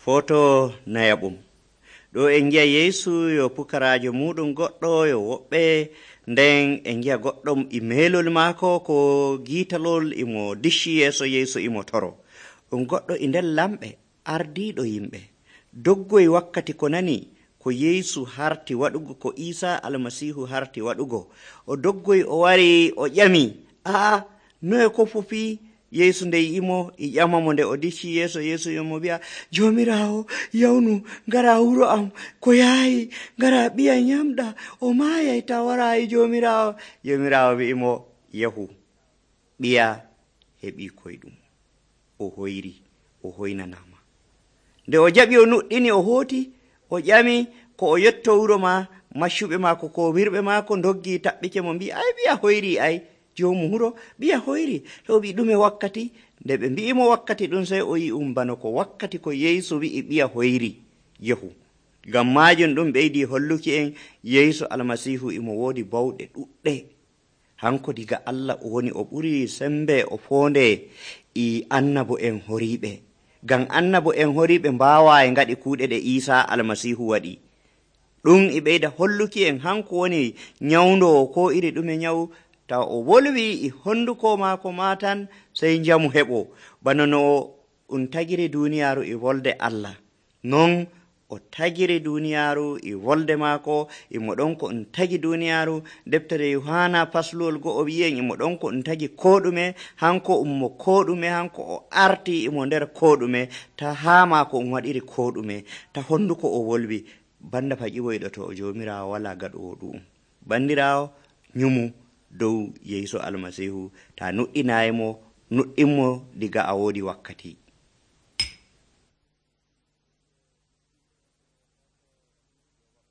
Foto nayaɓum ɗo en gi'a Yeesu yo pukaraajo muɗum goɗɗo yo woɓɓe, nden en gi'a goɗɗo e meelol maako ko giitalol imo dicci yeeso Yeesu imo toro. Ɗum goɗɗo e nder lamɓe ardiiɗo yimɓe doggoy wakkati ko nani ko Yeesu harti waɗugo, ko Iisa almasihu harti waɗugo. O doggoy o wari o ƴami, noye ko fufi? Yeesu nde yi'imo e ƴamamo nde o dicci yeeso Yeesu yomo wi'a, Joomiraawo yawnu ngara wuro am ko yaayi, ngara ɓiya nyamɗa o maayay ta waraayi Joomiraawo. Joomiraawo wi'imo, yahu, ɓiya heɓi koyɗum, o hoyri, o hoynanama. Nde o jaɓi o nuɗɗini o hooti, o ƴami ko o yetto wuro ma, maccuɓe maako ko wirɓe maako doggi taɓɓike mo mbi, ɓiya hoyri joomu wuro ɓiya hoyri. To wi ɗume wakkati? Nde ɓe mbi'imo wakkati ɗum, sey o yi bano ko wakkati ko Yeesu wi'i ɓiya hoyri yahu. Ngam maajum ɗum ɓeydi holluki en Yeesu almasihu imo woodi bawɗe ɗuɗɗe. Hanko diga Allah o woni, o ɓuri sembe o foonde e annabo en horiiɓe. Ngam annabo en horiiɓe mbaawa e ngaɗi kuuɗe ɗe Iisa almasihu waɗi. Ɗum e ɓeyda holluki en hanko woni nyawndo ko iri ɗume nyawu, taw o wolwi e honduko maako ma tan sey njamu heɓo. Bana no ɗum tagiri duniyaaru e wolde Allah, non o tagiri duniyaaru e wolde maako. Imo ɗon ko ɗum tagi duniyaaru. Deftere Yohana fasluwol 1 wi'en imo ɗon ko ɗum tagi koɗume, hanko ummo koɗume, hanko o arti imo nder koɗume, ta haa maako um waɗiri koɗume, ta honduko o wolwi. Banda faƴiwoyɗo to o Joomiraawo wala gaɗowo ɗum. Bandiraawo, nyumu dow Yeesu almasihu, ta nuɗɗinayimo, nuɗɗinmo diga a woodi wakkati.